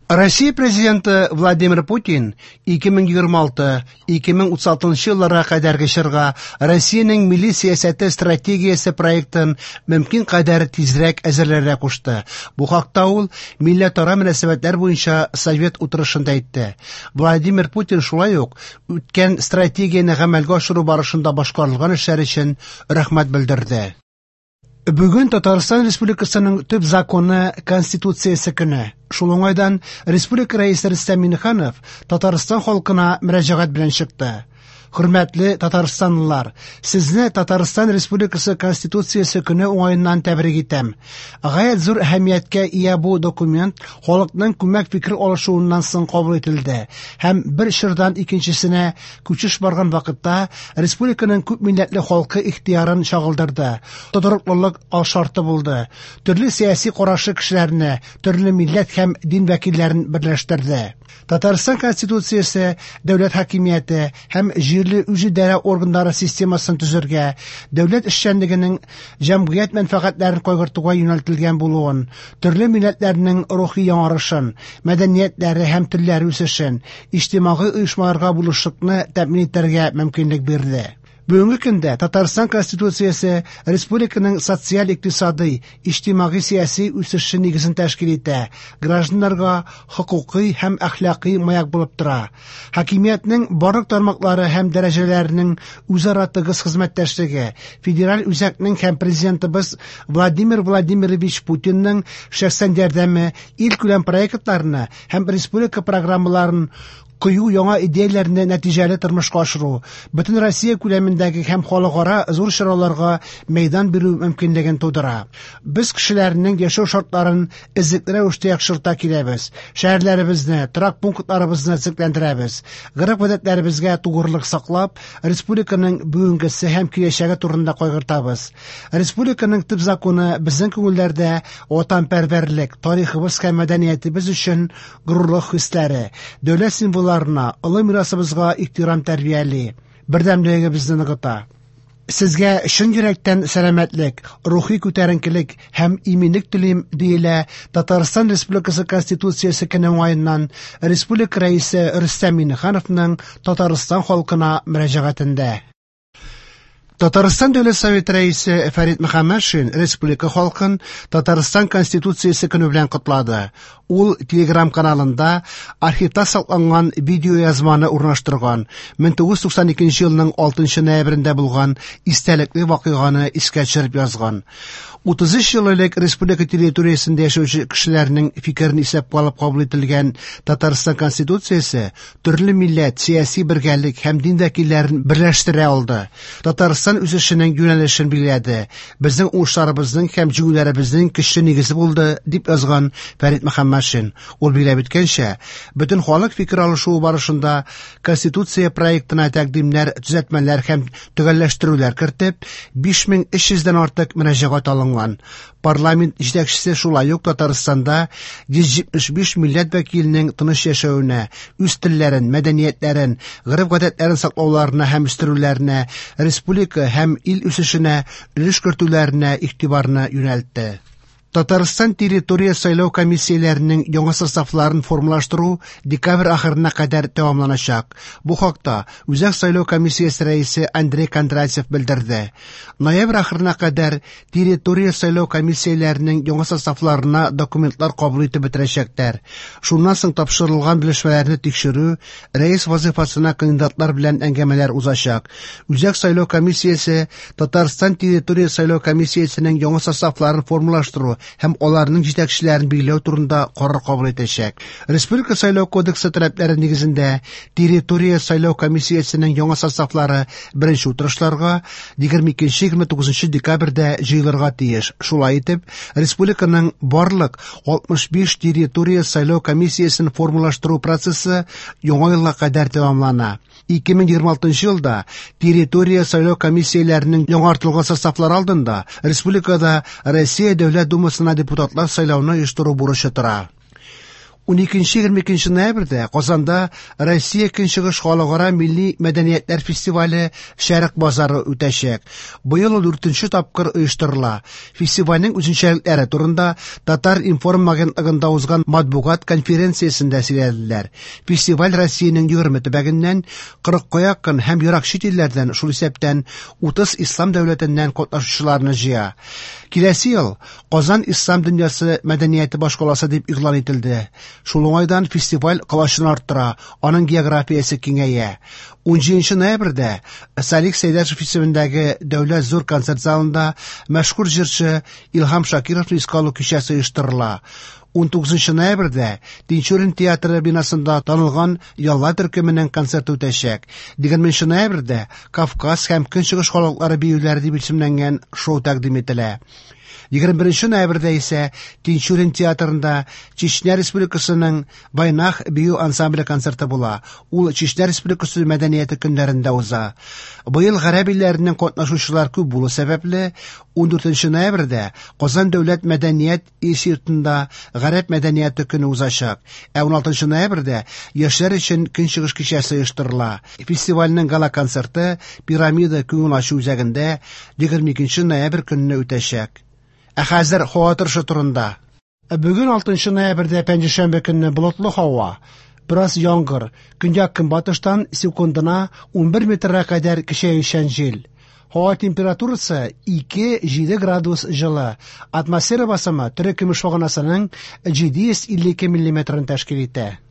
Россия Президенты Владимир Путин 2026-2036 елларга кадәрге чорга Россиянең милли сәясәте стратегиясе проектын мөмкин кадәр тизрәк әзерләргә кушты. Бу хакта ул милләтара мөнәсәбәтләр буенча совет утырышында әйтте. Владимир Путин шулай ук үткән стратегияне гамәлгә ашыру барышында башкарылган эшләр өчен рәхмәт белдерде. Бүген Татарстан Республикасының төп законы Конституциясе көне. Шул уңайдан Республика Рәисе Рөстәм Миңнеханов Татарстан халкына мөрәҗәгать белән чыкты. Хөрмәтле татарстанлылар, сезне Татарстан Республикасы Конституциясе көне уңаеннан тәбрик итәм. Гаять зур әһәмияткә ия бу документ халыкның күмәк фикер алышуыннан соң кабул ителде һәм бер чордан икенчесенә күчеш барган вакытта республиканың күп милләтле халкы ихтыярын чагылдырды, тотрыклылык алшарты булды, төрле сәяси карашлы кешеләрне, төрле милләт һәм дин вәкилләрен берләштерде. Татарстан Конституциясе дәүләт хакимияте һәм җирле үзидарә органнары системасын төзергә, дәүләт эшчәнлегенең җәмгыять мәнфәгатьләрен кайгыртуга юнәлтелгән булуын, төрле милләтләрнең рухи яңарышын, мәдәниятләре һәм телләре үсешен, иҗтимагый оешмаларга булышлыкны тәэмин итәргә мөмкинлек бирде. Бүгенге көндә Татарстан Конституциясе республиканың социаль-икътисадый, иҗтимагый-сәяси үсеше нигезен тәшкил итә, гражданнарга хокукый һәм әхлакый маяк булып тора. Хакимиятнең барлык тармаклары һәм дәрәҗәләренең үзара тыгыз хезмәттәшлеге, федераль үзәкнең һәм Президентыбыз Владимир Владимирович Путинның шәхсән ярдәме илкүләм проектларны һәм республика программаларын кыю яңа идеяләрне нәтиҗәле тормышка ашыру, бөтен Россия күләмендәге һәм халыкара зур чараларга мәйдан бирү мөмкинлеген тудыра. Без кешеләрнең яшәү шартларын эзлекле рәвештә яхшырта киләбез. Шәһәрләребезне, торак пунктларыбызны төзекләндерәбез. Гореф-гадәтләребезгә тугрылык саклап, республиканың бүгенгесе һәм киләчәге турында кайгыртабыз. Республиканың төп законы безнең күңелләрдә ватанпәрвәрлек, тарихыбыз һәм мәдәниятебез өчен горурлык хисләре, дәүләт символларына, олы мирасыбызга ихтирам тәрбияли, бердәмлегебезне ныгыта. Сезгә чын йөрәктән сәламәтлек, рухи күтәренкелек һәм иминлек телим, диелә Татарстан Республикасы Конституциясе көне уңаеннан Республика Рәисе Рөстәм Миңнехановның Татарстан халкына мөрәҗәгатендә. Татарстан Дәүләт Советы Рәисе Фәрит Мөхәммәтшин республика халкын Татарстан Конституциясе көне белән котлады. Ул Telegram каналында архивта сакланган видеоязманы урнаштырган. 1992 елның 6 ноябрендә булган истәлекле вакыйганы искә төшереп язган. 33 ел элек республика территориясендә яшәүче кешеләрнең фикерен исәпкә алып кабул ителгән Татарстан Конституциясе төрле милләт, сәяси бергәлек һәм дин вәкилләрен берләштерә алды. Татарстан үсешенең юнәлешен билгеләде. Безнең уңышларыбызның һәм җиңүләребезнең көчле нигезе булды, дип язган Фәрит Мөхәммәтшин. Ул билгеләп үткәнчә, бөтен халык фикер алышуы барышында Конституция проектына тәкъдимнәр, төзәтмәләр һәм төгәлләштерүләр кертеп, 5300 дән артык мөрәҗәгать алынган. Парламент җитәкчесе шулай ук Татарстанда 175 милләт вәкиленең тыныч яшәвенә, үз телләрен, мәдәниятләрен, гореф-гадәтләрен саклауларына һәм үстерүләренә, республика һәм ил үсешенә өлеш кертүләренә игътибарны юнәлтте. Татарстан территория сайлау комиссияләренең яңа составларын формалаштыру декабрь ахырына кадәр тәмамланачак. Бу хакта Үзәк сайлау комиссиясе рәисе Андрей Кондратьев белдерде. Ноябрь ахырына кадәр территория сайлау комиссияләренең яңа составларына документлар кабул итеп бетерәчәкләр. Шуннан соң тапшырылган белешмәләрне тикшерү, рәис вазифасына кандидатлар белән әңгәмәләр узачак. Үзәк сайлау комиссиясе Татарстан территория сайлау комиссиясенең яңа составларын формалаштыру һәм аларның җитәкчеләрен билгеләү турында карар кабул итәчәк. Республика сайлау кодексы таләпләре нигезендә территория сайлау комиссиясенең яңа составлары беренче утырышларга 22-29 декабрьдә җыелырга тиеш. Шулай итеп, республиканың барлык 65 территория сайлау комиссиясен формалаштыру процессы яңа елга кадәр тәмамлана. 2026 елда территория сайлау комиссияләренең яңартылган составлары алдында республикада Россия Дәүләт Думасына депутатлар сайлауны оештыру бурычы тора. 12-22 ноябрьдә Казанда Россия Көнчыгыш халыкара милли мәдәниятләр фестивале Шәрык базары үтәчәк. Быел ул дүртенче тапкыр оештырыла. Фестивальнең үзенчәлекләре турында Татар-информ агентлыгында узган матбугат конференциясендә сөйләделәр. Фестиваль Россиянең 20 төбәгеннән, 40 якын һәм ерак чит илләрдән, шул исәптән 30 ислам дәүләтеннән катнашучыларны җыя. Киләсе ел Казан ислам дөньясы мәдәнияте башкаласы дип игълан ителде. Шул уңайдан фестиваль колачын арттыра, аның географиясе киңәя. 17 ноябрьдә Салих Сәйдәшев исемендәге Дәүләт зур концерт залында мәшһүр җырчы Илһам Шакировны искә алу кичәсе оештырыла. 19 ноябрьдә Тинчурин театры бинасында танылган Ялла төркеменең концерты үтәчәк. 20 ноябрьдә Кавказ һәм Көнчыгыш халыклары биюләре дип исемләнгән шоу тәкъдим ителә. 21 ноябрьдә исә Тинчурин театрында Чечня Республикасының Вайнах бию ансамбле концерты була. Ул Чечня Республикасы мәдәнияте көннәрендә уза. Быел гарәп илләреннән катнашучылар күп булу сәбәпле, 14 ноябрьдә Казан дәүләт мәдәният институтында Гарәп мәдәнияте көне узачак. Ә 16 ноябрьдә яшьләр өчен Көнчыгыш кичәсе оештырыла. Фестивальнең гала-концерты Пирамида күңел ачу үзәгендә 22 ноябрь көнне үтәчәк. Ә хәзер һава торышы турында. Бүген 6 ноябрьдә пәнҗешәмбе көнне болытлы һава. Бераз яңгыр. Көньяк-көнбатыштан секундына 11 метрга кадәр көчәючән җил. Һава температурасы 2-7 градус җылы. Атмосфера басымы терекөмеш баганасының 752 миллиметрын тәшкил итә.